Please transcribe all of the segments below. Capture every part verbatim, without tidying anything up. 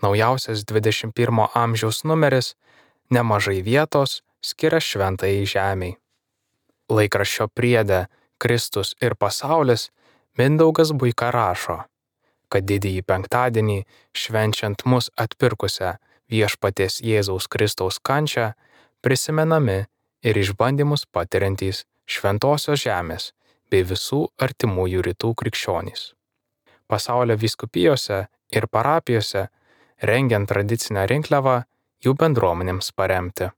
Naujausias dvidešimt pirmo amžiaus numeris nemažai vietos skiria šventajai žemei. Laikraščio priede Kristus ir pasaulis Mindaugas Buika rašo, kad didįjį penktadienį švenčiant mus atpirkusią Viešpaties Jėzaus Kristaus kančią prisimenami ir išbandymus patiriantys šventosios žemės bei visų artimųjų rytų krikščionys. Pasaulio vyskupijose ir parapijose rengiant tradicinę rinkliavą jų bendruomenėms paremti.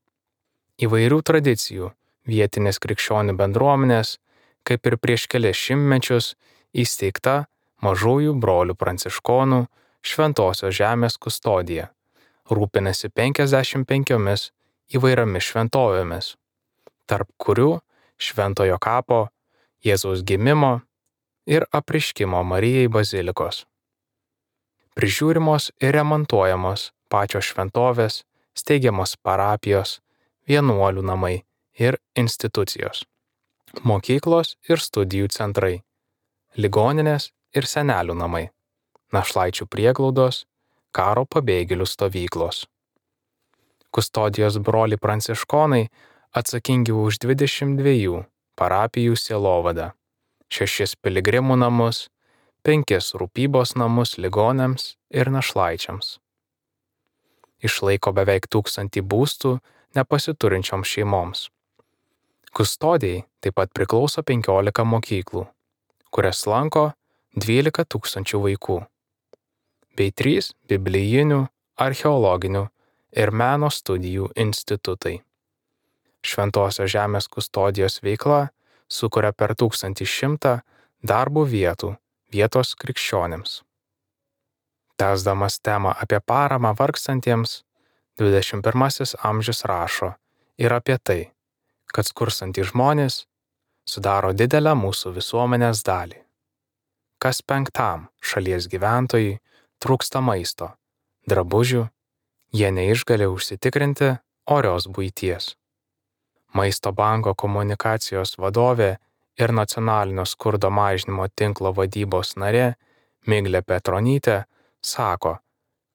Įvairių tradicijų vietinės krikščionių bendruomenės, kaip ir prieš kelias šimtmečius, įsteigta Mažųjų brolių pranciškonų Šventosios žemės kustodija, rūpinasi penkiasdešimt penkiomis įvairiomis šventovėmis, tarp kurių Šventojo kapo, Jėzaus gimimo ir apreiškimo Marijai bazilikos. Prižiūrimos ir remontuojamos pačios šventovės, steigiamos parapijos, vienuolių namai ir institucijos, mokyklos ir studijų centrai, ligoninės ir senelių namai, našlaičių prieglaudos, karo pabėgėlių stovyklos. Kustodijos broliai pranciškonai atsakingi už dvidešimt dviejų parapijų sielovadą, šešis piligrimų namus, penkis rūpybos namus ligoniams ir našlaičiams. Išlaiko beveik tūkstantį būstų nepasiturinčioms šeimoms. Kustodijai taip pat priklauso penkiolika mokyklų, kurias lanko dvylika tūkstančių vaikų, bei trys biblijinių, archeologinių ir meno studijų institutai. Šventosios žemės kustodijos veikla sukuria per tūkstantį šimtą darbo vietų vietos krikščionims. Tęsdamas temą apie paramą vargstantiems, dvidešimt pirmasis amžius rašo ir apie tai, kad skurstantys žmonės sudaro didelę mūsų visuomenės dalį. Kas penktam šalies gyventojui trūksta maisto, drabužių, jie neišgali užsitikrinti orios buities. Maisto banko komunikacijos vadovė ir nacionalinio skurdo mažinimo tinklo vadybos narė Miglė Petronytė sako,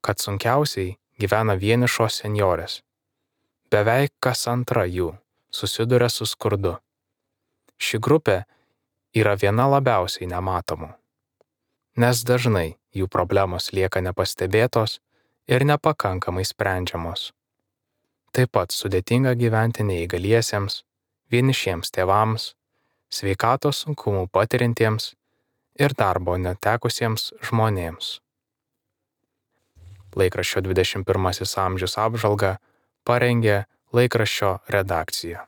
kad sunkiausiai gyvena vienišos senjorės. Beveik kas antra jų susiduria su skurdu. Ši grupė yra viena labiausiai nematomų, nes dažnai jų problemos lieka nepastebėtos ir nepakankamai sprendžiamos. Taip pat sudėtinga gyventi neįgaliesiems, vienišiems tėvams, sveikatos sunkumų patiriantiems ir darbo netekusiems žmonėms. Laikraščio dvidešimt pirmasis amžius apžvalgą parengė laikraščio redakcija.